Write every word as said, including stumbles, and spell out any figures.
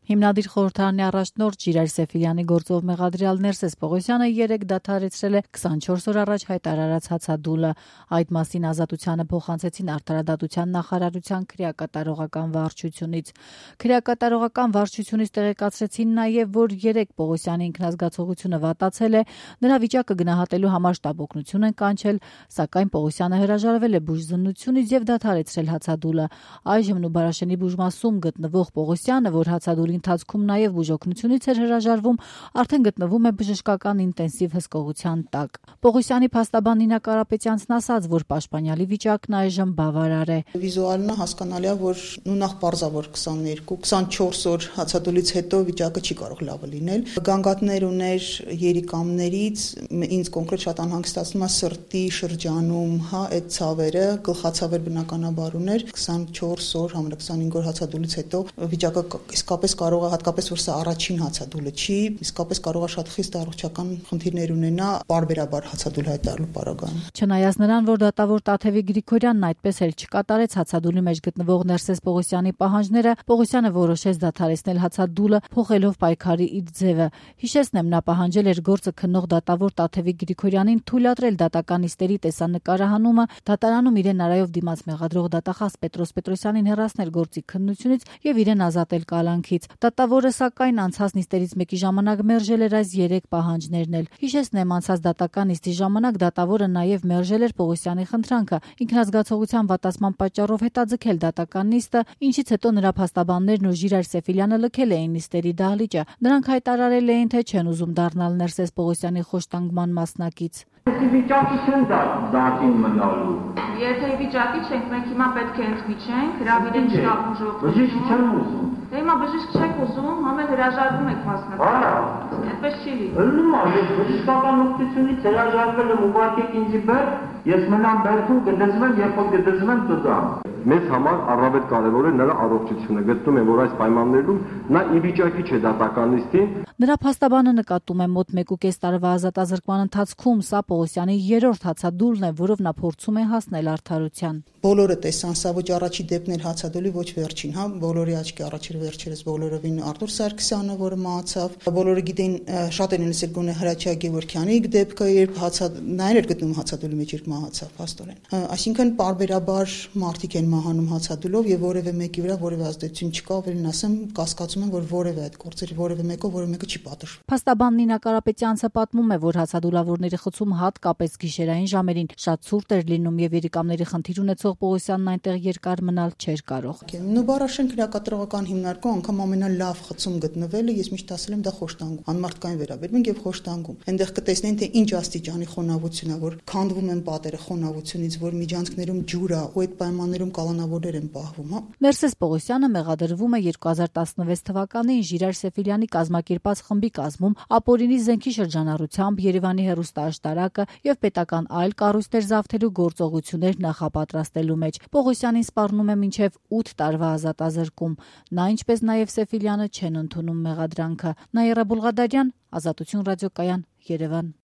Հիմնադիր խորհրդարանի առաջնորդ Ժիրայր Սեֆիլյանի գործով մեղադրյալ Ներսես Պողոսյանը երեկ դադարեցրել է քսանչորս օր առաջ հայտարարած հացադուլը։ Այդ մասին Ազատությանը փոխանցեցին Արդարադատության նախարարության քրեակատարողական վարչությունից։ Քրեակատարողական վարչությունից տեղեկացրեցին նաև, որ երեկ Պողոսյանի ինքնազգացողությունը վատացել է, նրա վիճակը գնահատելու համար շտաբ օգնություն են կանչել, սակայն Պողոսյանը հրաժարվել է բուժզննությունից եւ դադարեցրել հացադուլը։ Այժմ Նուբարաշենի բուժմասում գտնվող Պողոսյանը, որ հացադուլի ընթացքում նաև բուժօգնությունից էր հրաժարվում, արդեն գտնվում է բժշկական ինտենսիվ հսկողության տակ։ Պողոսյանի փաստաբան Նինա Կարապետյանցն ասաց, որ պաշտպանյալի վիճակն այժմ բավարար է։ Վիզուալն հասկանալի է, որ նույնախ պարզավոր քսաներկու քսանչորս օր հացադուլից հետո վիճակը չի կարող լավը լինել։ Գանգատներ ուներ երիկամներից, ինձ կոնկրետ շատ անհանգստացնում է սրտի շրջանում, հա, այդ ցավերը, գլխացավեր բնականաբար ուներ, քսանչորս օր, համարը քսանհինգ օր հացադուլից հետո վիճակը իսկապես կարող է, հատկապես որ սա առաջին հացադուլը չի, իսկապես կարող է շատ խիստ առողջական խնդիրներ ունենա պարբերաբար հացադուլ հայտարարելու պարագայում։ Չնայած նրան, որ դատավոր Տաթևիկ Գրիգորյանն այդպես էլ չկատարեց հացադուլի մեջ գտնվող Ներսես Պողոսյանի պահանջները, Պողոսյանը որոշեց դադարեցնել հացադուլը, փոխելով պայքարի իր ձևը։ Հիշեցնեմ, նա պահանջել էր գործը քննող դատավոր Տաթևիկ Գրիգորյանին թույլատրել դատական նիստերի տեսանկարահանումը, դատարանում իրեն արայով դիմաց մեղադրող դատախազ Պետրոս Պետրոսյանին հեռացնել գործի քննությունից եւ իրեն ազատել կալանքից։ Դատավորը սակայն անցած նիստերից մեկի ժամանակ մերժել էր այս երեք պահանջներն էլ։ Հիշեցնեմ, անցած դատական նիստի ժամանակ դատավորը նաև մերժել էր Պողոսյանի խնդրանքը ինքնազգացողության վատացման պատճառով հետաձգել դատական նիստը, ինչից հետո նրա փաստաբաններն ու Ժիրայր Սեֆիլյանը լքել էին նիստերի դահլիճը։ Նրանք հայտարարել էին, թե չեն ուզում դառնալ Ներսես Պողոսյանի խոշտանգման մասնակից։ Վիճակի չեն դատին մնալու։ Եթե վիճակի չենք, մենք հիմա պետք է ընդմիջենք, հրավիրենք շտաբ բուժօգնություն։ Բժիշկ չեմ ուզում։ Դե հիմա բժիշկ չեք ուզում, համել հրաժարվում եք մասնակցել։ Այդպես չի լինի։ Ըլլում է, բժշկական օգնությունից հրաժարվել եմ, ուղարկեք ինձ բեր, ես մնամ բերքում գդզվեմ, երբ որ գդզվեմ տուզամ։ Մեզ համար առավել կարևոր է նրա առողջությունը։ Գտնում եմ, որ այս պայմաններում նա ի վիճակի չէ դատական նիստին։ Նրա փաստաբանը նկատում է մոտ մեկ ու կես տարվա ազատազրկման ընթացքում սա Պողոսյանի երրորդ հացադուլն է, որով նա փորձում է հասնել արդարության։ Բոլորը տեսան, սա ոչ առաջի դեպքն էր հացադուլի, ոչ վերջին, հա, բոլորի աչքի առաջ էր վերջերս բոլորովին Արտուր Սարգսյանը, որը մահացավ, բոլորը գիտեն, շատ են լսել գոնե Հրաչյա Գևորգյանի դեպքը, երբ հացադ նա էր գտնում հացադուլի մեջ, երբ մահացավ, փաստորեն։ Այսինքն պարբերաբար մարդիկ են մահանում հացադուլով եւ որևէ մեկի վրա որևէ ազդեցություն չկա, ավելին ասեմ, կասկածում եմ, որ որևէ այդ գործերի որևէ մեկով որևէ մեկը չի պատժվում։ Փաստաբան Նինա Կարապետյանցը պատմում է, որ հացադուլավորների խցում հատկապես գիշերային ժամերին շատ ցուրտ էր լինում եւ երիկամների խնդիր ունեցող Պողոսյանն այնտեղ երկար մնալ չէր կարող։ Նուբարաշեն քրեակատարողական հիմնարկում անգամ ամենալավ խցում գտնվելը ես միշտ ասել եմ դա խոշտանգում, անմարդկային վերաբերմունք եւ խոշտանգում։ Այնտեղ կտեսնեն թե ինչ աստիճանի խոնավություն է, որ քանդվում են պատերը խոնավությունից, որ միջանցքներում ջուր է, ու այդ պայմաններում կալանավորներ են պահվում, հա։ Ներսես Պողոսյանը մեղադրվում է երկու հազար տասնվեց թվականին Ժիրայր Սեֆիլյանի կազմակերպած խմբի կազմում ապօրինի զենքի շրջանառությամբ Երևանի հեռուստաաշտարակը եւ պետական այլ կառույցներ զավթելու գործողություններ նախապատրաստելու մեջ։ Պողոսյանին սպառնում է մինչև ութ տարվա ազատազրկում։ Նա, ինչպես նաև Սեֆիլյանը, չեն ընդունում մեղադրանքը։ Նաիրա Բուլղադարյան, Ազատություն ռադիոկայան, Երևան։